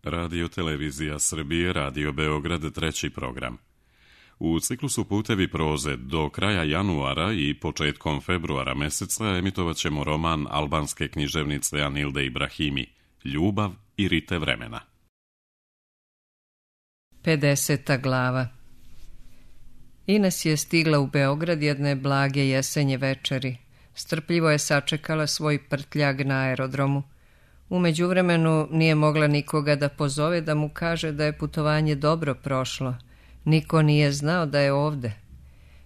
Radio Televizija Srbije, Radio Beograd, treći program. U ciklusu Putevi proze do kraja januara i početkom februara meseca emitovat ćemo roman albanske književnice Anilde Ibrahimi, Ljubav i rite vremena. 50. glava. Ines je stigla u Beograd jedne blage jesenje večeri. Strpljivo je sačekala svoj prtljag na aerodromu. U međuvremenu nije mogla nikoga da pozove da mu kaže da je putovanje dobro prošlo. Niko nije znao da je ovde.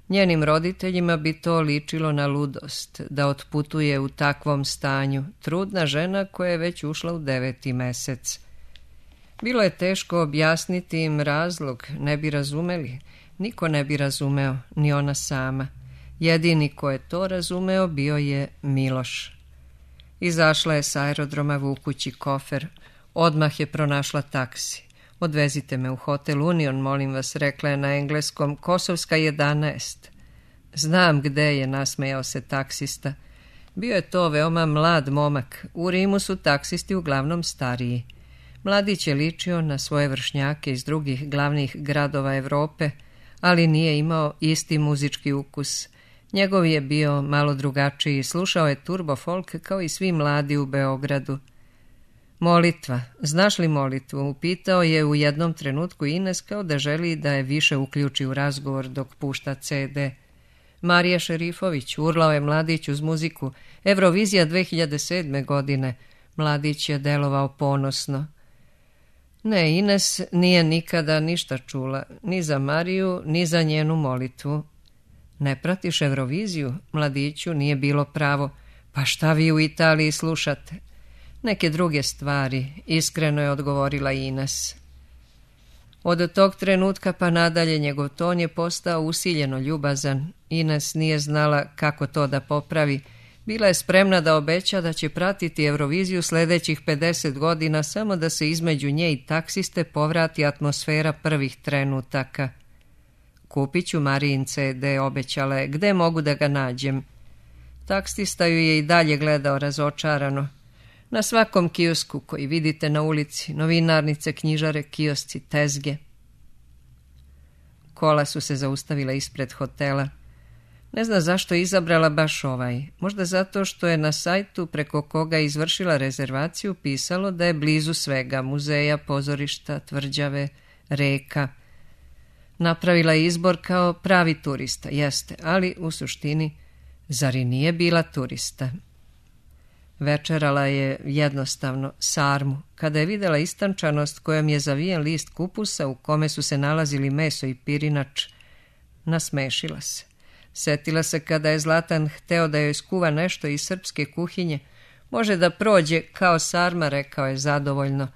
Njenim roditeljima bi to ličilo na ludost, da otputuje u takvom stanju, trudna žena koja je već ušla u 9. mesec. Bilo je teško objasniti im razlog, ne bi razumeli. Niko ne bi razumeo, ni ona sama. Jedini ko je to razumeo bio je Miloš. Izašla je s aerodroma vukući kofer. Odmah je pronašla taksi. Odvezite me u hotel Union, molim vas, rekla je na engleskom, Kosovska 11. Znam gde je, nasmejao se taksista. Bio je to veoma mlad momak. U Rimu su taksisti uglavnom stariji. Mladić je ličio na svoje vršnjake iz drugih glavnih gradova Evrope, ali nije imao isti muzički ukus. Njegov je bio malo drugačiji, slušao je turbo folk kao i svi mladi u Beogradu. Molitva, znaš li molitvu? Upitao je u jednom trenutku Ines kao da želi da je više uključi u razgovor dok pušta CD. Marija Šerifović, urlao je mladić uz muziku. Eurovizija 2007. godine. Mladić je delovao ponosno. Ne, Ines nije nikada ništa čula, ni za Mariju, ni za njenu molitvu. Ne pratiš Euroviziju? Mladiću nije bilo pravo. Pa šta vi u Italiji slušate? Neke druge stvari, iskreno je odgovorila Ines. Od tog trenutka pa nadalje njegov ton je postao usiljeno ljubazan. Ines nije znala kako to da popravi. Bila je spremna da obeća da će pratiti Euroviziju sljedećih 50 godina samo da se između nje i taksiste povrati atmosfera prvih trenutaka. Kupit ću Marijin CD, obećala je. Gde mogu da ga nađem? Taksista ju je i dalje gledao razočarano. Na svakom kiosku koji vidite na ulici, novinarnice, knjižare, kiosci, tezge. Kola su se zaustavila ispred hotela. Ne zna zašto je izabrala baš ovaj. Možda zato što je na sajtu preko koga je izvršila rezervaciju pisalo da je blizu svega, muzeja, pozorišta, tvrđave, reka. Napravila je izbor kao pravi turista, jeste, ali u suštini, zar i nije bila turista? Večerala je jednostavno sarmu. Kada je vidjela istančanost kojom je zavijen list kupusa u kome su se nalazili meso i pirinač, nasmešila se. Setila se kada je Zlatan hteo da joj skuva nešto iz srpske kuhinje. Može da prođe kao sarma, rekao je zadovoljno,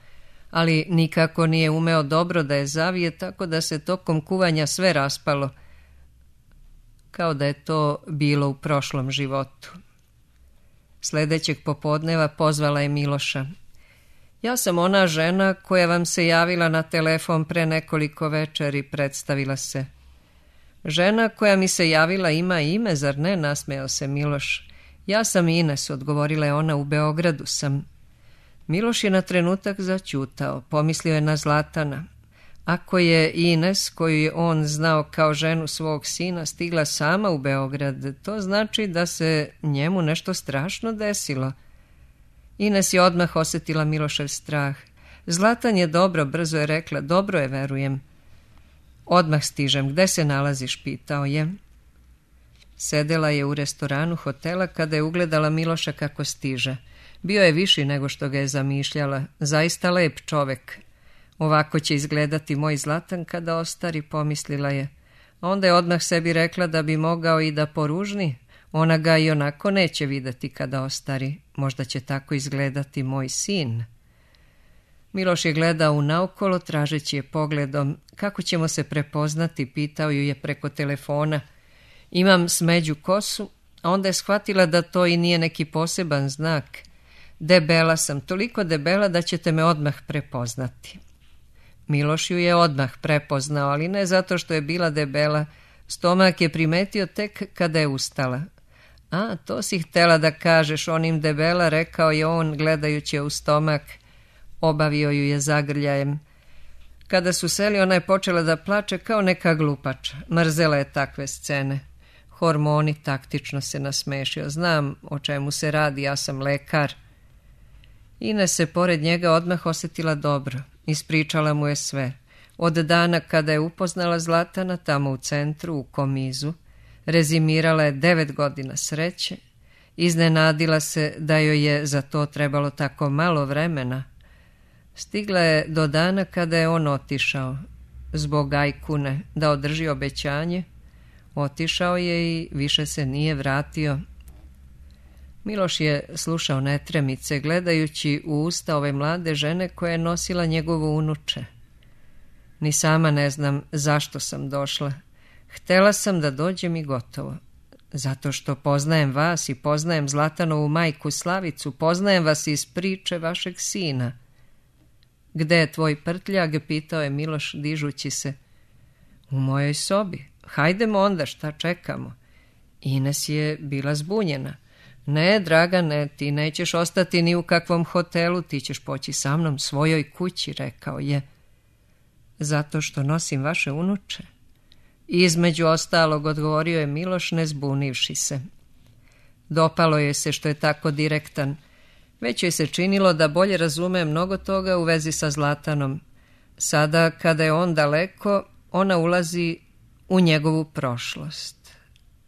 ali nikako nije umeo dobro da je zavije, tako da se tokom kuvanja sve raspalo, kao da je to bilo u prošlom životu. Sljedećeg popodneva pozvala je Miloša. Ja sam ona žena koja vam se javila na telefon pre nekoliko večeri, predstavila se. Žena koja mi se javila ima ime, zar ne, nasmejao se Miloš. Ja sam Ines, odgovorila je ona, u Beogradu sam. Miloš je na trenutak zaćutao, pomislio je na Zlatana. Ako je Ines, koju je on znao kao ženu svog sina, stigla sama u Beograd, to znači da se njemu nešto strašno desilo. Ines je odmah osjetila Milošev strah. Zlatan je dobro, brzo je rekla, dobro je, verujem. Odmah stižem, gde se nalaziš, pitao je. Sedela je u restoranu hotela kada je ugledala Miloša kako stiže. Bio je viši nego što ga je zamišljala, zaista lep čovek. Ovako će izgledati moj Zlatan kada ostari, pomislila je. Onda je odmah sebi rekla da bi mogao i da poružni. Ona ga i onako neće videti kada ostari. Možda će tako izgledati moj sin. Miloš je gledao unaokolo, tražeći je pogledom. Kako ćemo se prepoznati, pitao ju je preko telefona. Imam smeđu kosu, a onda je shvatila da to i nije neki poseban znak. Debela sam, toliko debela da ćete me odmah prepoznati. Miloš ju je odmah prepoznao, ali ne zato što je bila debela. Stomak je primetio tek kada je ustala. A, to si htela da kažeš onim debela, rekao je on gledajući u stomak. Obavio ju je zagrljajem. Kada su seli, ona je počela da plače kao neka glupača. Mrzela je takve scene. Hormoni, taktično se nasmešio. Znam o čemu se radi, ja sam lekar. Ines se pored njega odmah osjetila dobro. Ispričala mu je sve. Od dana kada je upoznala Zlatana tamo u centru, u Komizu, rezimirala je 9 godina sreće, iznenadila se da joj je za to trebalo tako malo vremena. Stigla je do dana kada je on otišao, zbog Ajkune, da održi obećanje. Otišao je i više se nije vratio. Miloš je slušao netremice, gledajući u usta ove mlade žene koja je nosila njegovo unuče. Ni sama ne znam zašto sam došla. Htela sam da dođem i gotovo. Zato što poznajem vas i poznajem Zlatanovu majku Slavicu, poznajem vas iz priče vašeg sina. Gde je tvoj prtljag? Pitao je Miloš dižući se. U mojoj sobi. Hajdemo onda, šta čekamo? Ines je bila zbunjena. Ne, Dragane, ti nećeš ostati ni u kakvom hotelu, ti ćeš poći sa mnom svojoj kući, rekao je. Zato što nosim vaše unuče. Između ostalog, odgovorio je Miloš, ne zbunivši se. Dopalo je se što je tako direktan. Već joj se činilo da bolje razume mnogo toga u vezi sa Zlatanom. Sada, kada je on daleko, ona ulazi u njegovu prošlost.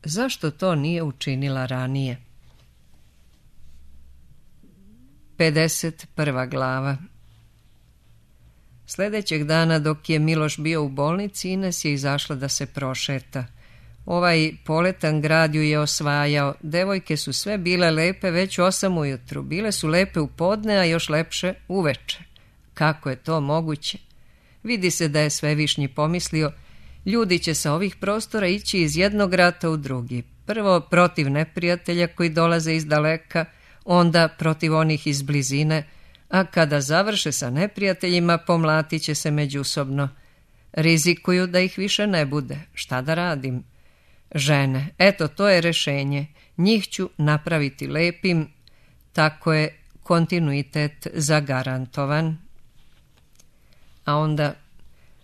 Zašto to nije učinila ranije? 51. glava. Sljedećeg dana, dok je Miloš bio u bolnici, Ines je izašla da se prošeta. Ovaj poletan grad ju je osvajao. Devojke su sve bile lepe već 8 ujutru. Bile su lepe u podne, a još lepše uveče. Kako je to moguće? Vidi se da je Svevišnji pomislio, ljudi će sa ovih prostora ići iz jednog rata u drugi. Prvo protiv neprijatelja koji dolaze iz daleka, onda protiv onih iz blizine, a kada završe sa neprijateljima, pomlatit će se međusobno. Rizikuju da ih više ne bude. Šta da radim? Žene, eto, to je rešenje. Njih ću napraviti lepim, tako je kontinuitet zagarantovan. A onda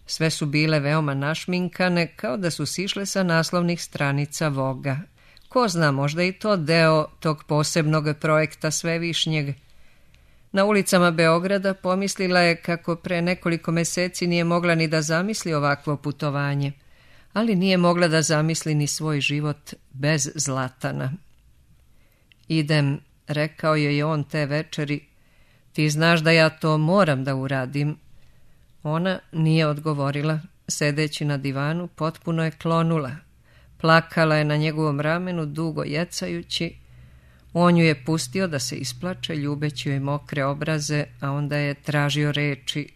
sve su bile veoma našminkane, kao da su sišle sa naslovnih stranica Voga. Ko zna, možda i to deo tog posebnog projekta Svevišnjeg. Na ulicama Beograda pomislila je kako pre nekoliko meseci nije mogla ni da zamisli ovakvo putovanje, ali nije mogla da zamisli ni svoj život bez Zlatana. Idem, rekao joj je on te večeri, ti znaš da ja to moram da uradim. Ona nije odgovorila, sedeći na divanu, potpuno je klonula. Plakala je na njegovom ramenu, dugo jecajući. On ju je pustio da se isplače, ljubeći joj mokre obraze, a onda je tražio reči,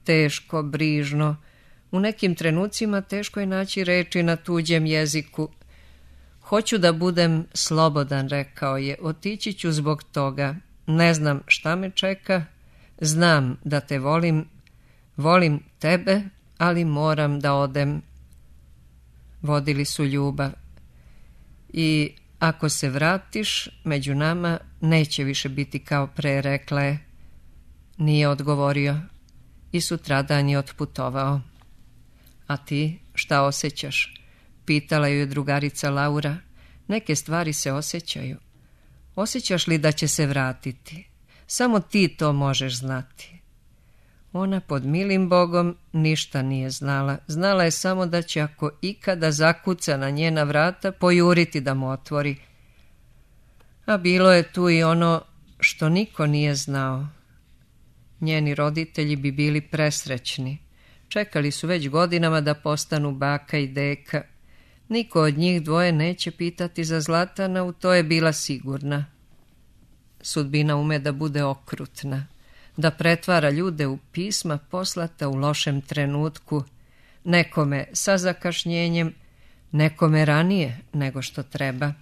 teško, brižno. U nekim trenucima teško je naći reči na tuđem jeziku. Hoću da budem slobodan, rekao je, otići ću zbog toga. Ne znam šta me čeka, znam da te volim, volim tebe, ali moram da odem. Vodili su ljubav. I ako se vratiš, među nama neće više biti kao pre, rekla je. Nije odgovorio i sutradan je otputovao. A ti šta osjećaš? Pitala ju je drugarica Laura. Neke stvari se osjećaju. Osjećaš li da će se vratiti? Samo ti to možeš znati. Ona pod milim Bogom ništa nije znala. Znala je samo da će ako ikada zakuca na njena vrata, pojuriti da mu otvori. A bilo je tu i ono što niko nije znao. Njeni roditelji bi bili presrećni. Čekali su već godinama da postanu baka i deka. Niko od njih dvoje neće pitati za Zlatana, u to je bila sigurna. Sudbina ume da bude okrutna, da pretvara ljude u pisma poslata u lošem trenutku, nekome sa zakašnjenjem, nekome ranije nego što treba.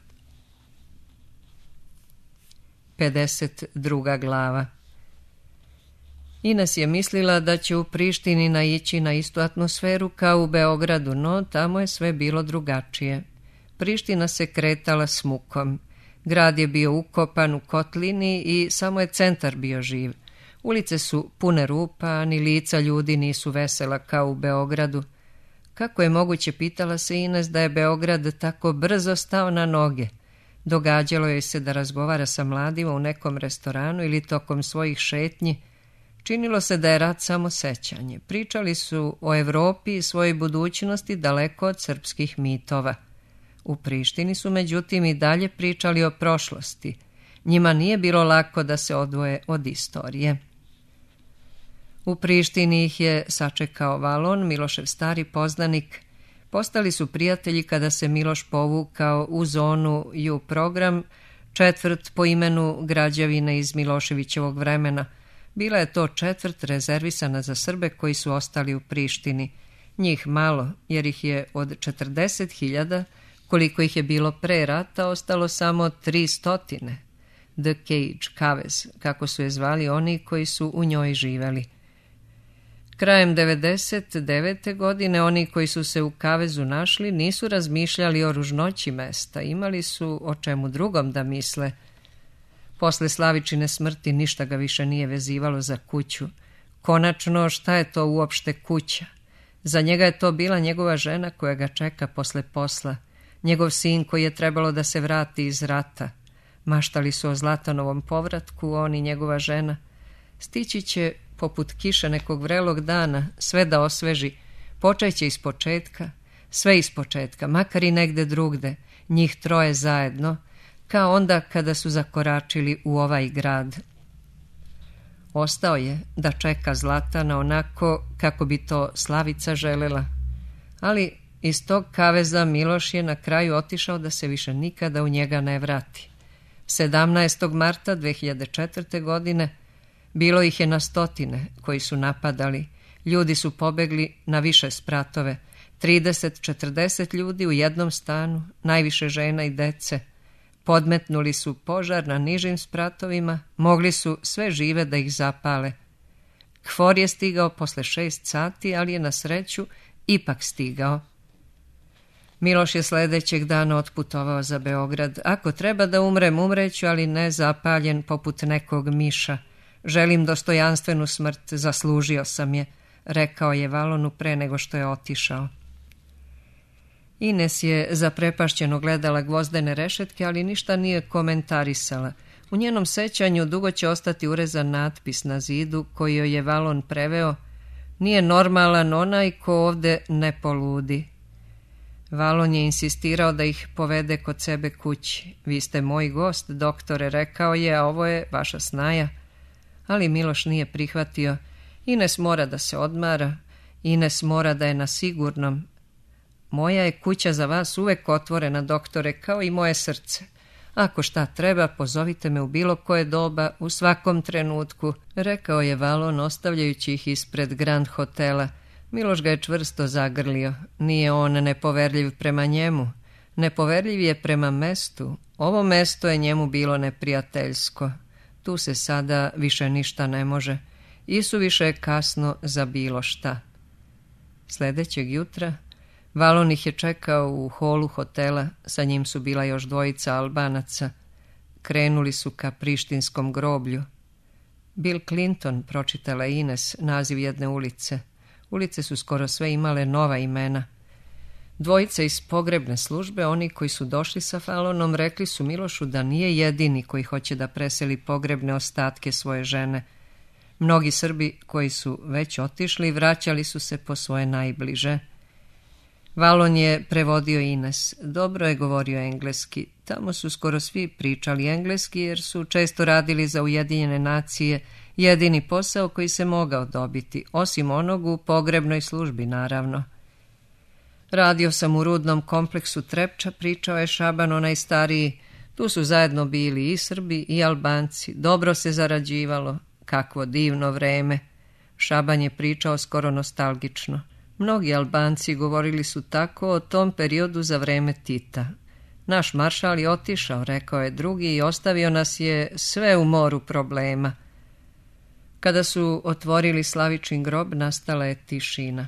52. glava. Ines je mislila da će u Prištini naići na istu atmosferu kao u Beogradu, no tamo je sve bilo drugačije. Priština se kretala s mukom. Grad je bio ukopan u kotlini i samo je centar bio živ. Ulice su pune rupa, ni lica ljudi nisu vesela kao u Beogradu. Kako je moguće, pitala se Ines, da je Beograd tako brzo stao na noge? Događalo joj se da razgovara sa mladima u nekom restoranu ili tokom svojih šetnji. Činilo se da je rat samo sećanje. Pričali su o Evropi i svojoj budućnosti daleko od srpskih mitova. U Prištini su međutim i dalje pričali o prošlosti. Njima nije bilo lako da se odvoje od istorije. U Prištini ih je sačekao Valon, Milošev stari poznanik. Postali su prijatelji kada se Miloš povukao u zonu U program, četvrt po imenu građevine iz Miloševićevog vremena. Bila je to četvrt rezervisana za Srbe koji su ostali u Prištini. Njih malo, jer ih je od 40.000, koliko ih je bilo pre rata, ostalo samo 300. The Cage, kavez, kako su je zvali oni koji su u njoj živeli. Krajem 99. godine oni koji su se u kavezu našli nisu razmišljali o ružnoći mesta, imali su o čemu drugom da misle. Posle Slavičine smrti ništa ga više nije vezivalo za kuću. Konačno, šta je to uopšte kuća? Za njega je to bila njegova žena koja ga čeka posle posla, njegov sin koji je trebalo da se vrati iz rata. Maštali su o Zlatanovom povratku, on i njegova žena. Stići će poput kiše nekog vrelog dana, sve da osveži, počeće iz početka, sve iz početka, makar i negde drugde, njih troje zajedno, kao onda kada su zakoračili u ovaj grad. Ostao je da čeka Zlatana onako kako bi to Slavica želela, ali iz tog kaveza Miloš je na kraju otišao da se više nikada u njega ne vrati. 17. marta 2004. godine bilo ih je na stotine koji su napadali. Ljudi su pobegli na više spratove. 30-40 ljudi u jednom stanu, najviše žena i dece. Podmetnuli su požar na nižim spratovima, mogli su sve žive da ih zapale. KFOR je stigao posle 6 sati, ali je na sreću ipak stigao. Miloš je sledećeg dana otputovao za Beograd. Ako treba da umrem, umreću, ali ne zapaljen poput nekog miša. Želim dostojanstvenu smrt, zaslužio sam je, rekao je Valonu pre nego što je otišao. Ines je zaprepašćeno gledala gvozdene rešetke, ali ništa nije komentarisala. U njenom sećanju dugo će ostati urezan natpis na zidu koji joj je Valon preveo: nije normalan onaj ko ovde ne poludi. Valon je insistirao da ih povede kod sebe kući. Vi ste moj gost, doktore, rekao je, a ovo je vaša snaja. Ali Miloš nije prihvatio. Ines mora da se odmara, Ines mora da je na sigurnom. Moja je kuća za vas uvek otvorena, doktore, kao i moje srce. Ako šta treba, pozovite me u bilo koje doba, u svakom trenutku, rekao je Valon, ostavljajući ih ispred Grand hotela. Miloš ga je čvrsto zagrlio. Nije on nepoverljiv prema njemu. Nepoverljiv je prema mestu. Ovo mesto je njemu bilo neprijateljsko. Tu se sada više ništa ne može. Isuviše je kasno za bilo šta. Sledećeg jutra Valon ih je čekao u holu hotela, sa njim su bila još dvojica Albanaca. Krenuli su ka prištinskom groblju. Bill Clinton, pročitala Ines, naziv jedne ulice. Ulice su skoro sve imale nova imena. Dvojica iz pogrebne službe, oni koji su došli sa Valonom, rekli su Milošu da nije jedini koji hoće da preseli pogrebne ostatke svoje žene. Mnogi Srbi koji su već otišli vraćali su se po svoje najbliže. Valon je prevodio Ines. Dobro je govorio engleski. Tamo su skoro svi pričali engleski jer su često radili za Ujedinjene nacije, jedini posao koji se mogao dobiti, osim onog u pogrebnoj službi, naravno. Radio sam u rudnom kompleksu Trepča, pričao je Šaban, onaj stariji. Tu su zajedno bili i Srbi i Albanci. Dobro se zarađivalo. Kakvo divno vreme. Šaban je pričao skoro nostalgično. Mnogi Albanci govorili su tako o tom periodu za vreme Tita. Naš maršal je otišao, rekao je drugi, i ostavio nas je sve u moru problema. Kada su otvorili Slavičin grob, nastala je tišina.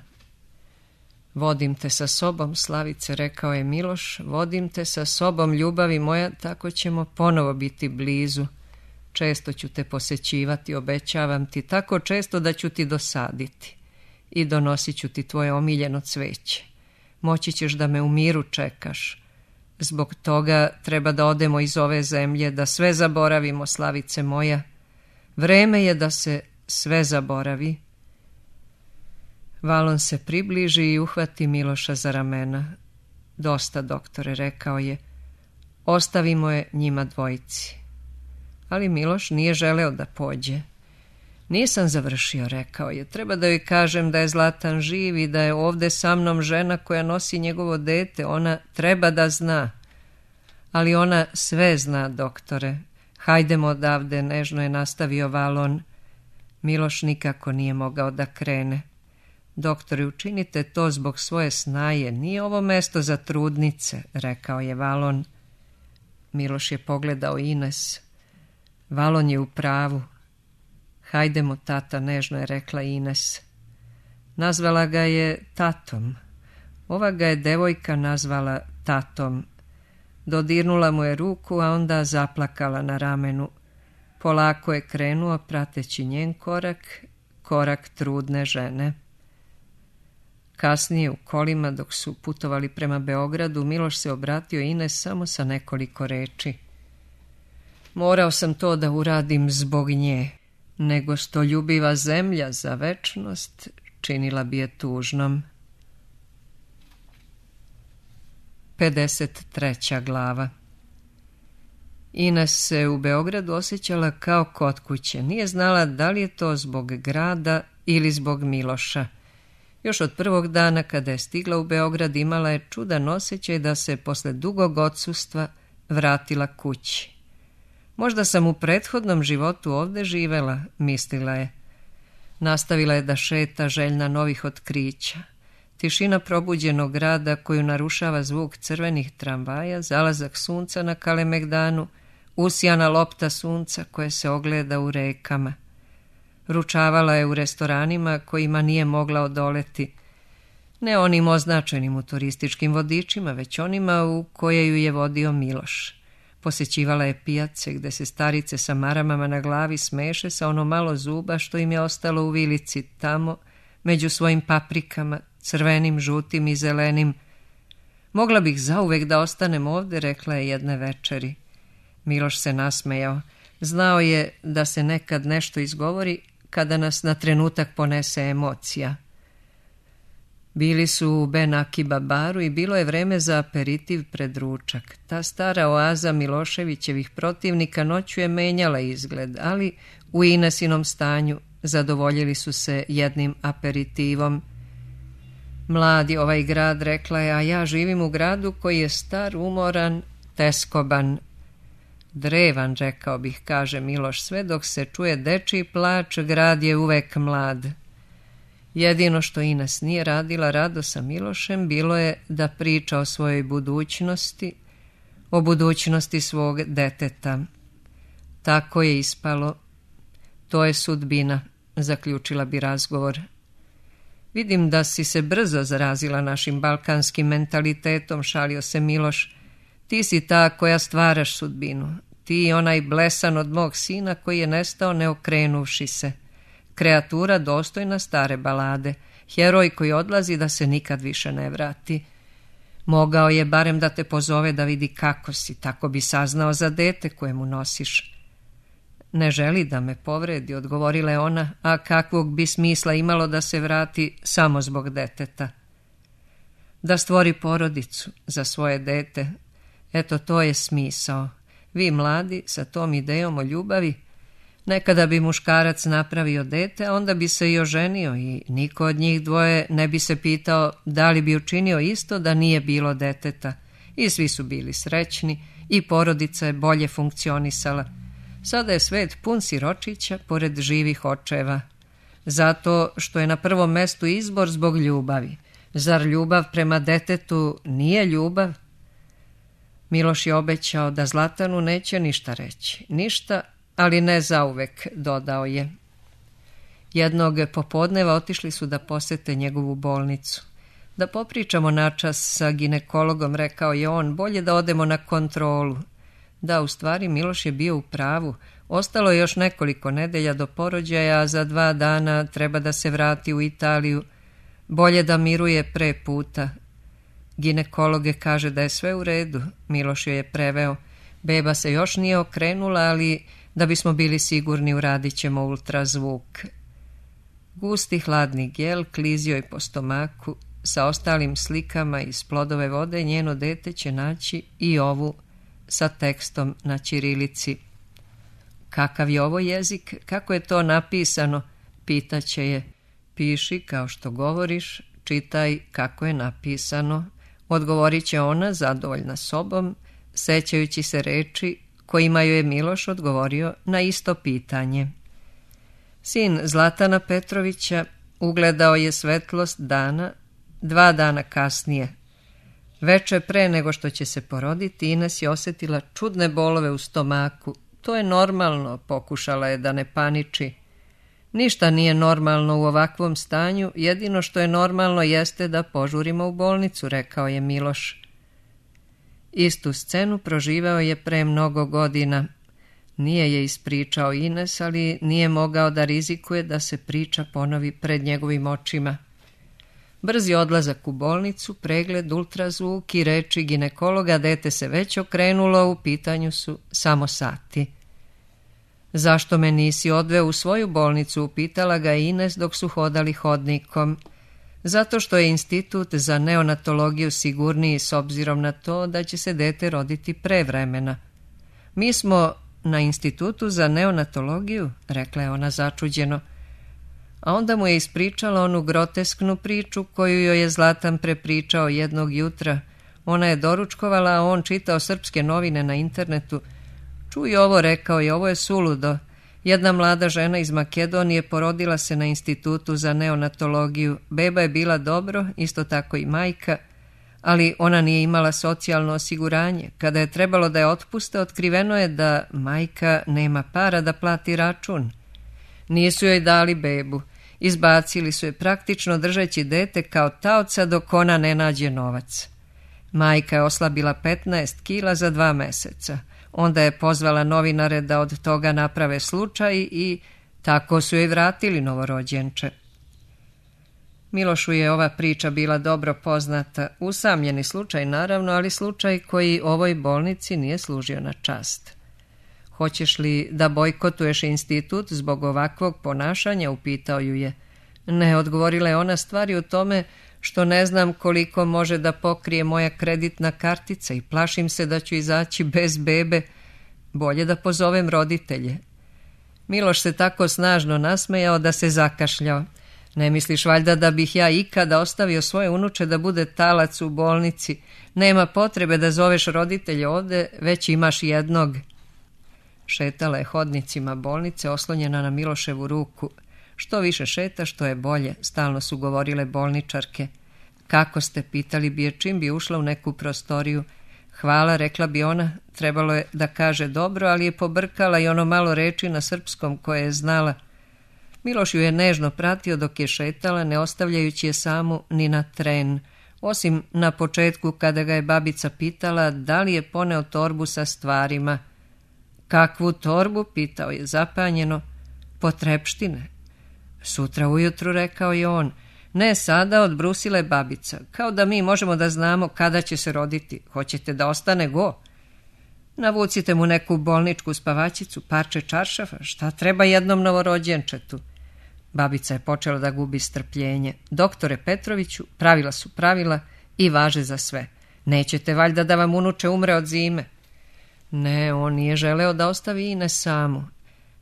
Vodim te sa sobom, Slavice, rekao je Miloš, vodim te sa sobom, ljubavi moja, tako ćemo ponovo biti blizu. Često ću te posećivati, obećavam ti, tako često da ću ti dosaditi. I donosit ću ti tvoje omiljeno cveće. Moći ćeš da me u miru čekaš. Zbog toga treba da odemo iz ove zemlje, da sve zaboravimo, Slavice moja. Vreme je da se sve zaboravi. Valon se približi i uhvati Miloša za ramena. Dosta, doktore, rekao je. Ostavimo je njima dvojici. Ali Miloš nije želeo da pođe. Nisam završio, rekao je. Treba da joj kažem da je Zlatan živ i da je ovde sa mnom žena koja nosi njegovo dete. Ona treba da zna. Ali ona sve zna, doktore. Hajdemo odavde, nežno je nastavio Valon. Miloš nikako nije mogao da krene. Doktore, učinite to zbog svoje snaje. Nije ovo mesto za trudnice, rekao je Valon. Miloš je pogledao Ines. Valon je u pravu. Hajdemo, tata, nežno je rekla Ines. Nazvala ga je tatom. Ova ga je devojka nazvala tatom. Dodirnula mu je ruku, a onda zaplakala na ramenu. Polako je krenuo, prateći njen korak, korak trudne žene. Kasnije u kolima, dok su putovali prema Beogradu, Miloš se obratio Ines samo sa nekoliko reči. Morao sam to da uradim zbog nje, nego što ljubiva zemlja za večnost činila bi je tužnom. 53. glava. Ines se u Beogradu osjećala kao kod kuće. Nije znala da li je to zbog grada ili zbog Miloša. Još od prvog dana kada je stigla u Beograd imala je čudan osjećaj da se posle dugog odsustva vratila kući. Možda sam u prethodnom životu ovde živela, mislila je. Nastavila je da šeta, željna novih otkrića. Tišina probuđenog grada koju narušava zvuk crvenih tramvaja, zalazak sunca na Kalemegdanu, usijana lopta sunca koje se ogleda u rekama. Ručavala je u restoranima kojima nije mogla odoleti. Ne onim označenim u turističkim vodičima, već onima u koje ju je vodio Miloš. Posećivala je pijace gde se starice sa maramama na glavi smeše sa ono malo zuba što im je ostalo u vilici tamo, među svojim paprikama, crvenim, žutim i zelenim. Mogla bih zauvek da ostanem ovde, rekla je jedne večeri. Miloš se nasmejao. Znao je da se nekad nešto izgovori kada nas na trenutak ponese emocija. Bili su u Ben Akiba baru i bilo je vreme za aperitiv pred ručak. Ta stara oaza Miloševićevih protivnika noću je menjala izgled, ali u Inesinom stanju zadovoljili su se jednim aperitivom. Mladi ovaj grad, rekla je, a ja živim u gradu koji je star, umoran, teskoban. Drevan, rekao bih, kaže Miloš, sve dok se čuje dečiji plač, grad je uvek mlad. Jedino što Ines nije radila rado sa Milošem bilo je da priča o svojoj budućnosti, o budućnosti svog deteta. Tako je ispalo. To je sudbina, zaključila bi razgovor. Vidim da si se brzo zarazila našim balkanskim mentalitetom, šalio se Miloš. Ti si ta koja stvaraš sudbinu. Ti i onaj blesan od mog sina koji je nestao ne okrenuvši se. Kreatura dostojna stare balade. Heroj koji odlazi da se nikad više ne vrati. Mogao je barem da te pozove da vidi kako si, tako bi saznao za dete koje mu nosiš. Ne želi da me povredi, odgovorila je ona, a kakvog bi smisla imalo da se vrati samo zbog deteta. Da stvori porodicu za svoje dete. Eto, to je smisao. Vi mladi sa tom idejom o ljubavi, nekada bi muškarac napravio dete, a onda bi se i oženio i niko od njih dvoje ne bi se pitao da li bi učinio isto da nije bilo deteta. I svi su bili srećni i porodica je bolje funkcionisala. Sada je svet pun siročića pored živih očeva. Zato što je na prvom mestu izbor zbog ljubavi. Zar ljubav prema detetu nije ljubav? Miloš je obećao da Zlatanu neće ništa reći. Ništa, ali ne zauvek, dodao je. Jednog popodneva otišli su da posete njegovu bolnicu. Da popričamo načas sa ginekologom, rekao je on, bolje da odemo na kontrolu. Da, u stvari Miloš je bio u pravu. Ostalo je još nekoliko nedelja do porođaja, a za 2 dana treba da se vrati u Italiju. Bolje da miruje pre puta. Ginekologe kaže da je sve u redu, Miloš joj je preveo. Beba se još nije okrenula, ali da bismo bili sigurni uradit ćemo ultrazvuk. Gusti hladni gel klizio je po stomaku. Sa ostalim slikama iz Plodove vode njeno dete će naći i ovu sa tekstom na ćirilici. Kakav je ovo jezik? Kako je to napisano? Pitaće je. Piši kao što govoriš, čitaj kako je napisano. Odgovorit će ona, zadovoljna sobom, sećajući se reči kojima joj je Miloš odgovorio na isto pitanje. Sin Zlatana Petrovića ugledao je svetlost dana 2 dana kasnije. Veče pre nego što će se poroditi, Ines je osjetila čudne bolove u stomaku. To je normalno, pokušala je da ne paniči. Ništa nije normalno u ovakvom stanju, jedino što je normalno jeste da požurimo u bolnicu, rekao je Miloš. Istu scenu proživao je pre mnogo godina. Nije je ispričao Ines, ali nije mogao da rizikuje da se priča ponovi pred njegovim očima. Brzi odlazak u bolnicu, pregled, ultrazvuk i reči ginekologa, dete se već okrenulo, u pitanju su samo sati. Zašto me nisi odveo u svoju bolnicu, upitala ga Ines dok su hodali hodnikom. Zato što je institut za neonatologiju sigurniji s obzirom na to da će se dete roditi pre vremena. Mi smo na institutu za neonatologiju, rekla je ona začuđeno. A onda mu je ispričala onu grotesknu priču koju joj je Zlatan prepričao jednog jutra. Ona je doručkovala, a on čitao srpske novine na internetu. Čuj ovo, rekao je, ovo je suludo. Jedna mlada žena iz Makedonije porodila se na institutu za neonatologiju. Beba je bila dobro, isto tako i majka, ali ona nije imala socijalno osiguranje. Kada je trebalo da je otpuste, otkriveno je da majka nema para da plati račun. Nisu joj dali bebu. Izbacili su je praktično držeći dete kao taoca dok ona ne nađe novac. Majka je oslabila 15 kila za 2 meseca. Onda je pozvala novinare da od toga naprave slučaj i tako su joj vratili novorođenče. Milošu je ova priča bila dobro poznata. Usamljeni slučaj naravno, ali slučaj koji ovoj bolnici nije služio na čast. Hoćeš li da bojkotuješ institut zbog ovakvog ponašanja, upitao ju je. Ne, odgovorila je ona, stvari u tome što ne znam koliko može da pokrije moja kreditna kartica i plašim se da ću izaći bez bebe. Bolje da pozovem roditelje. Miloš se tako snažno nasmejao da se zakašljao. Ne misliš valjda da bih ja ikada ostavio svoje unuče da bude talac u bolnici? Nema potrebe da zoveš roditelje ovde, već imaš jednog. Šetala je hodnicima bolnice, oslonjena na Miloševu ruku. Što više šeta, što je bolje, stalno su govorile bolničarke. Kako ste, pitali bi je čim bi ušla u neku prostoriju. Hvala, rekla bi ona, trebalo je da kaže dobro, ali je pobrkala i ono malo reči na srpskom koje je znala. Miloš ju je nežno pratio dok je šetala, ne ostavljajući je samu ni na tren, osim na početku kada ga je babica pitala da li je poneo torbu sa stvarima. Kakvu torbu, pitao je zapanjeno. Potrepštine. Sutra ujutru, rekao je on. Ne sada, odbrusila je babica. Kao da mi možemo da znamo kada će se roditi. Hoćete da ostane go? Navucite mu neku bolničku spavačicu, parče čaršafa. Šta treba jednom novorođenčetu? Babica je počela da gubi strpljenje. Doktore Petroviću, pravila su pravila i važe za sve. Nećete valjda da vam unuče umre od zime? Ne, on nije želeo da ostavi Ines samu.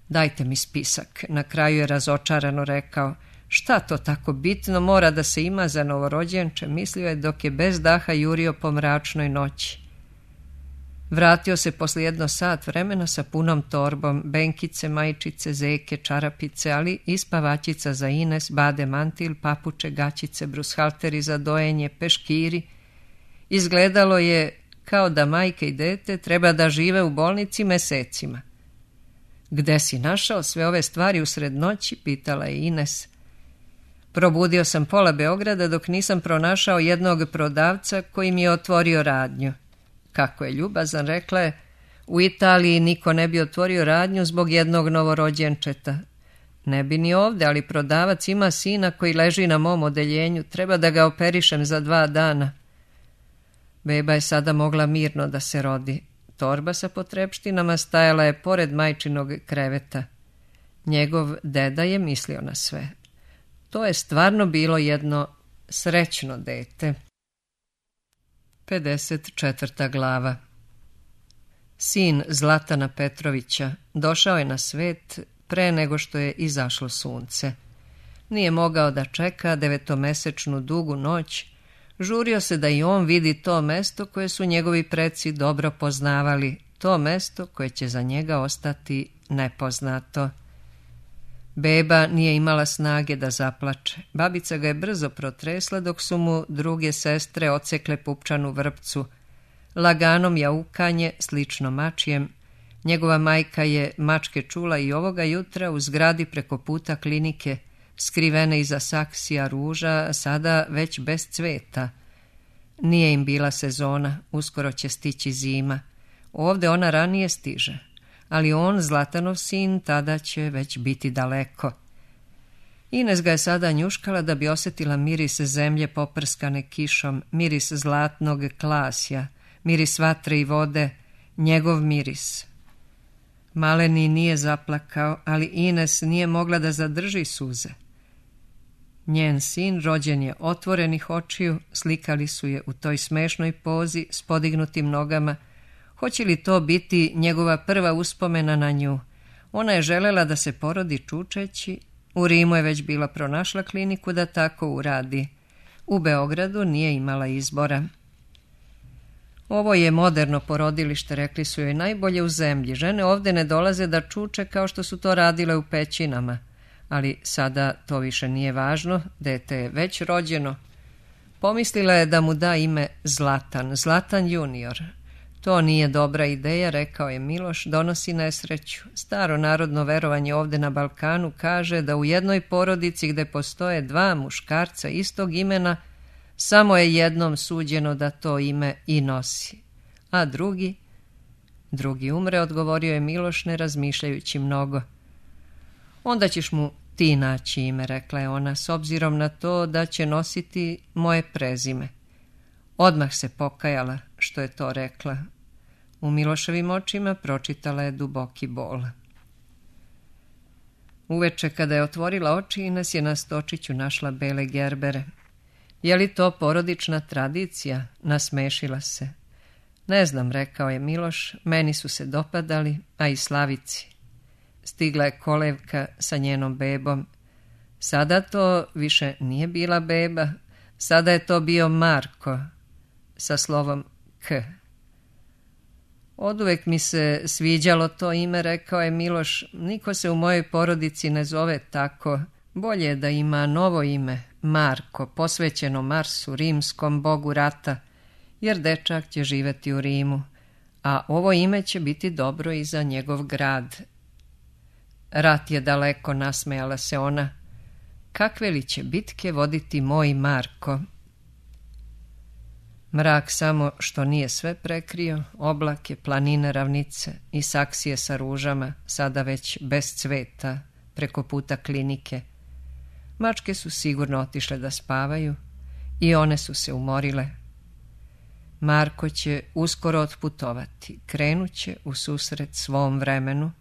Dajte mi spisak, na kraju je razočarano rekao. Šta to tako bitno mora da se ima za novorođenče, mislio je dok je bez daha jurio po mračnoj noći. Vratio se posle 1 sat vremena sa punom torbom, benkice, majčice, zeke, čarapice, ali i spavačica za Ines, bade mantil, papuče, gaćice, brushalteri za dojenje, peškiri. Izgledalo je kao da majka i dete treba da žive u bolnici mesecima. Gde si našao sve ove stvari usred noći, pitala je Ines. Probudio sam pola Beograda dok nisam pronašao jednog prodavca koji mi je otvorio radnju. Kako je ljubazan, rekla je, U Italiji niko ne bi otvorio radnju zbog jednog novorođenčeta. Ne bi ni ovdje, ali prodavac ima sina koji leži na mom odeljenju. Treba da ga operišem za 2 dana. Beba je sada mogla mirno da se rodi. Torba sa potrepštinama stajala je pored majčinog kreveta. Njegov deda je mislio na sve. To je stvarno bilo jedno srećno dete. 54. glava. Sin Zlatana Petrovića došao je na svet pre nego što je izašlo sunce. Nije mogao da čeka 9-mesečnu dugu noć. Žurio se da i on vidi to mesto koje su njegovi preci dobro poznavali, to mesto koje će za njega ostati nepoznato. Beba nije imala snage da zaplače. Babica ga je brzo protresla dok su mu druge sestre odsekle pupčanu vrpcu. Laganom jaukanje, slično mačijem. Njegova majka je mačke čula i ovoga jutra u zgradi preko puta klinike, skrivene iza saksija ruža, sada već bez cveta. Nije im bila sezona, uskoro će stići zima. Ovdje ona ranije stiže, ali on, Zlatanov sin, tada će već biti daleko. Ines ga je sada njuškala da bi osjetila miris zemlje poprskane kišom, miris zlatnog klasja, miris vatre i vode, njegov miris. Maleni nije zaplakao, ali Ines nije mogla da zadrži suze. Njen sin, rođen je otvorenih očiju, slikali su je u toj smešnoj pozi s podignutim nogama. Hoće li to biti njegova prva uspomena na nju? Ona je želela da se porodi čučeći. U Rimu je već bila pronašla kliniku da tako uradi. U Beogradu nije imala izbora. Ovo je moderno porodilište, rekli su joj, najbolje u zemlji. Žene ovdje ne dolaze da čuče kao što su to radile u pećinama. Ali sada to više nije važno, dete je već rođeno. Pomislila je da mu da ime Zlatan, Zlatan junior. To nije dobra ideja, rekao je Miloš, donosi nesreću. Staro narodno verovanje ovdje na Balkanu kaže da u jednoj porodici gdje postoje 2 muškarca istog imena, samo je jednom suđeno da to ime i nosi. A drugi umre, odgovorio je Miloš ne razmišljajući mnogo. Onda ćeš mu ti naći ime, rekla je ona, s obzirom na to da će nositi moje prezime. Odmah se pokajala što je to rekla. U Miloševim očima pročitala je duboki bol. Uveče kada je otvorila oči, Ines je na stočiću našla bele gerbere. Je li to porodična tradicija? Nasmešila se. Ne znam, rekao je Miloš, meni su se dopadali, a i Slavici. Stigla je kolevka sa njenom bebom. Sada to više nije bila beba, sada je to bio Marko sa slovom K. Oduvek mi se sviđalo to ime, rekao je Miloš, niko se u mojoj porodici ne zove tako. Bolje je da ima novo ime, Marko, posvećeno Marsu, rimskom bogu rata, jer dečak će živjeti u Rimu, a ovo ime će biti dobro i za njegov grad. Rat je daleko, nasmejala se ona. Kakve li će bitke voditi moj Marko? Mrak samo što nije sve prekrio, oblake, planine, ravnice i saksije sa ružama, sada već bez cveta, preko puta klinike. Mačke su sigurno otišle da spavaju i one su se umorile. Marko će uskoro otputovati, krenuće u susret svom vremenu,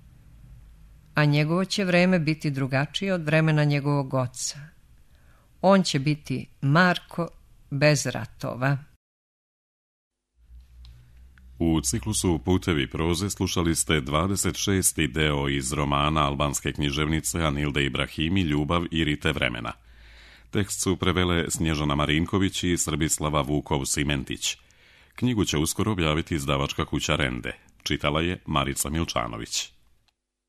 a njegovo će vreme biti drugačije od vremena njegovog oca. On će biti Marko bez ratova. U ciklusu Putevi proze slušali ste 26. deo iz romana albanske književnice Anilde Ibrahimi Ljubav i rite vremena. Tekst su prevele Snježana Marinković i Srbislava Vukov-Simentić. Knjigu će uskoro objaviti izdavačka kuća Rende. Čitala je Marica Milčanović.